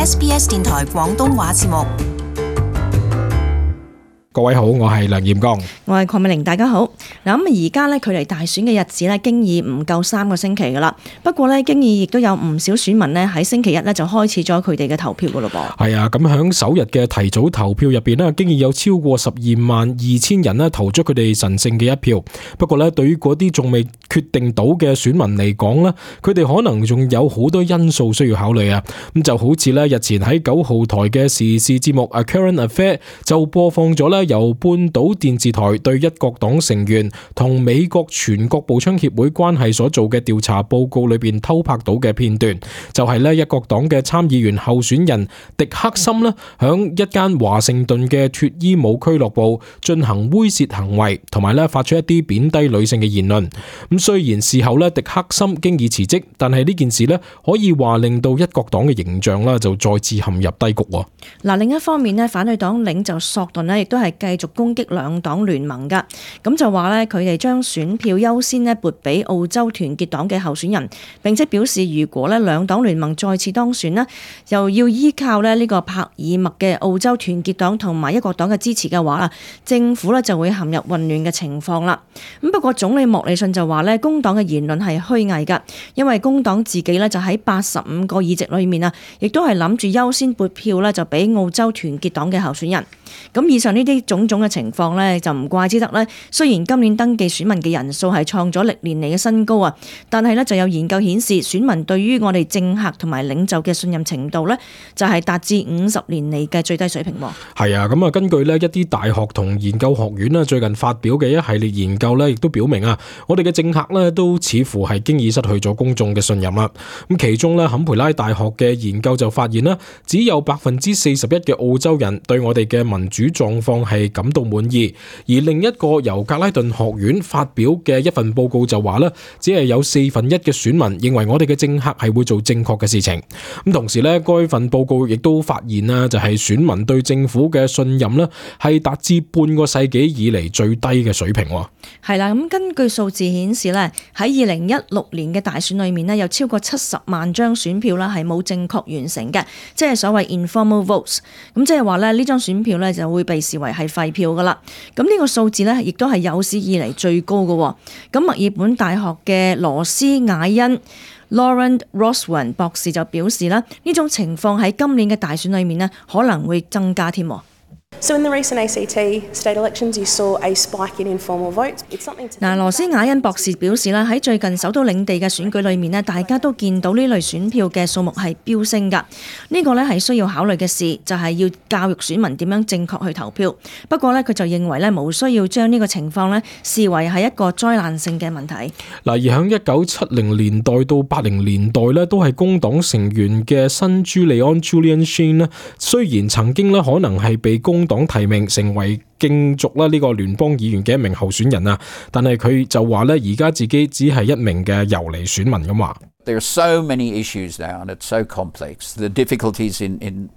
SBS 電台廣東話節目。各位好，我係梁彥剛，我係鄺美玲，大家好。嗱，咁而家咧距離大選嘅日子咧，經已唔夠3個星期噶啦。不過咧，經已亦都有唔少選民咧喺星期一咧就開始咗佢哋嘅投票噶咯噃。係啊，咁響首日嘅提早投票入邊咧，經已有超過122000人咧投咗佢哋神聖嘅一票。不過咧，對於嗰啲仲未決定到嘅選民嚟講咧，佢哋可能仲有好多因素需要考慮啊。咁就好似咧日前喺9號台嘅時事節目《Current Affair》就播放咗咧由半島電視台對一國黨成員同美國全國步槍協會關係所做嘅調查報告裏邊偷拍到嘅片段，就係咧一國黨嘅參議員候選人迪克森咧響一間華盛頓嘅脫衣舞俱樂部進行猥褻行為，同埋咧發出一啲貶低女性嘅言論。咁雖然事後咧迪克森經已辭職，但係呢件事咧可以話令到一國黨嘅形象啦就再次陷入低谷。嗱，另一方面咧，反對黨領袖索頓咧亦都係繼續攻擊兩黨聯盟噶，咁就話咧佢哋將選票優先咧撥俾澳洲團結黨嘅候選人，並且表示如果咧兩黨聯盟再次當選咧，又要依靠咧呢個帕爾默嘅澳洲團結黨同埋一國黨嘅支持嘅話啦，政府咧就會陷入混亂嘅情況啦。咁不過總理莫里遜就話咧工黨嘅言論係虛偽噶，因為工黨自己咧就喺85個議席裏面啊，亦都係諗住優先撥票咧就俾澳洲團結黨嘅候選人。咁以上呢啲種種嘅情況呢，就唔怪之得呢。雖然今年登記選民嘅人數係創咗歷年嚟嘅新高啊，但係呢就有研究顯示，選民對於我哋政客同埋領袖嘅信任程度呢，就係達至50年嚟嘅最低水平。係啊，咁啊，根據呢一啲大學同研究學院呢最近發表嘅一系列研究呢，亦都表明啊，我哋嘅政客呢都似乎係經已失去咗公眾嘅信任啦。咁其中呢，坎培拉大學嘅研究就發現啦，只有41%嘅澳洲人對我哋嘅民主狀況係感到滿意，而另一個由格拉頓學院發表嘅一份報告就話咧，只係有1/4嘅選民認為我哋嘅政客係會做正確嘅事情。咁同時咧，該份報告亦都發現啦，就係選民對政府嘅信任咧係達至半個世紀以嚟最低嘅水平。係啦，咁根據數字顯示咧，喺2016年嘅大選裏面咧，有超過70萬張選票啦係冇正確完成嘅，即係所謂 informal votes。咁即係話咧呢張選票咧就會被視為係廢票噶啦。咁呢個數字咧亦都係有史以嚟最高嘅。咁墨爾本大學嘅羅斯雅恩 Lauren Roswan 博士就表示啦，呢種情況喺今年嘅大選裏面咧可能會增加添。So in the recent ACT state elections, you saw a spike in informal votes. It's something to... 羅斯雅恩博士表示啦，喺最近首都領地嘅選舉裏面咧，大家都見到呢類選票嘅數目係飆升㗎。呢個咧係需要考慮嘅事，就係要教育選民點樣正確去投票。不過咧，佢就認為咧冇需要將呢個情況咧視為係一個災難性嘅問題。嗱，而喺1970年代到80年代咧，都係工黨成員嘅新朱利安 Julian Sheen 咧，雖然曾經咧可能係被工黨提名成為競逐啦呢個聯邦議員嘅一名候選人啊，但係佢就話咧，而家自己只係一名嘅遊離選民咁話。There are so many issues now, and it's so complex. The difficulties in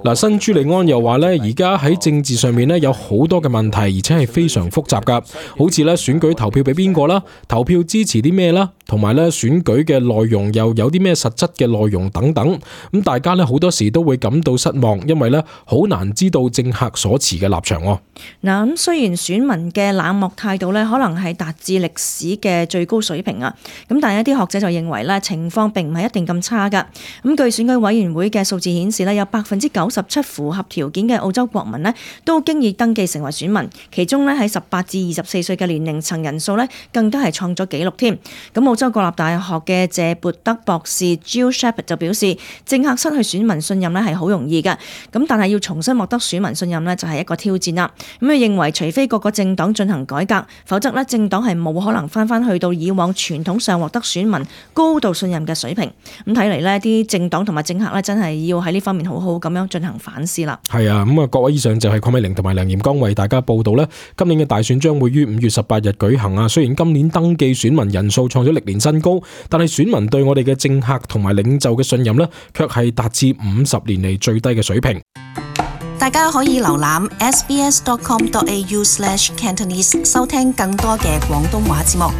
嗱，新朱利安又話咧，而家喺政治上面咧有好多嘅問題，而且係非常複雜噶，好似咧選舉投票俾邊個啦，投票支持啲咩啦，同埋咧選舉嘅內容又有啲咩實質嘅內容等等。咁大家咧好多時都會感到失望，因為咧好難知道政客所持嘅立場。嗱，咁雖然選民嘅冷漠態度咧可能係達至歷史嘅最高水平啊，咁但係一啲學者就認為咧情況並唔係一定咁差噶。咁據選舉委員會嘅數字顯示咧，有97%符合條件嘅澳洲國民咧都經已登記成為選民，其中咧喺18至24歲嘅年齡層人數咧更加係創咗紀錄添。咁澳洲國立大學嘅謝勃德博士 Jill Shepherd 就表示，政客失去選民信任咧係好容易嘅，咁但係要重新獲得選民信任咧就係一個挑戰啦。咁佢認為除非各個政黨進行改革，否則咧政黨係冇可能翻去到以往傳統上獲得選民高度信任嘅水平。咁睇嚟呢啲政黨同埋政客咧真係要喺呢方面好好咁樣進行反思啦。係啊，咁啊，各位以上就係鄺美玲同埋梁彥剛為大家報道咧。今年嘅大選將會於5月18日舉行啊。雖然今年登記選民人數創咗歷年新高，但係選民對我哋嘅政客同埋領袖嘅信任咧，卻係達至50年嚟最低嘅水平。大家可以瀏覽 sbs.com.au/Cantonese 收聽更多嘅廣東話節目。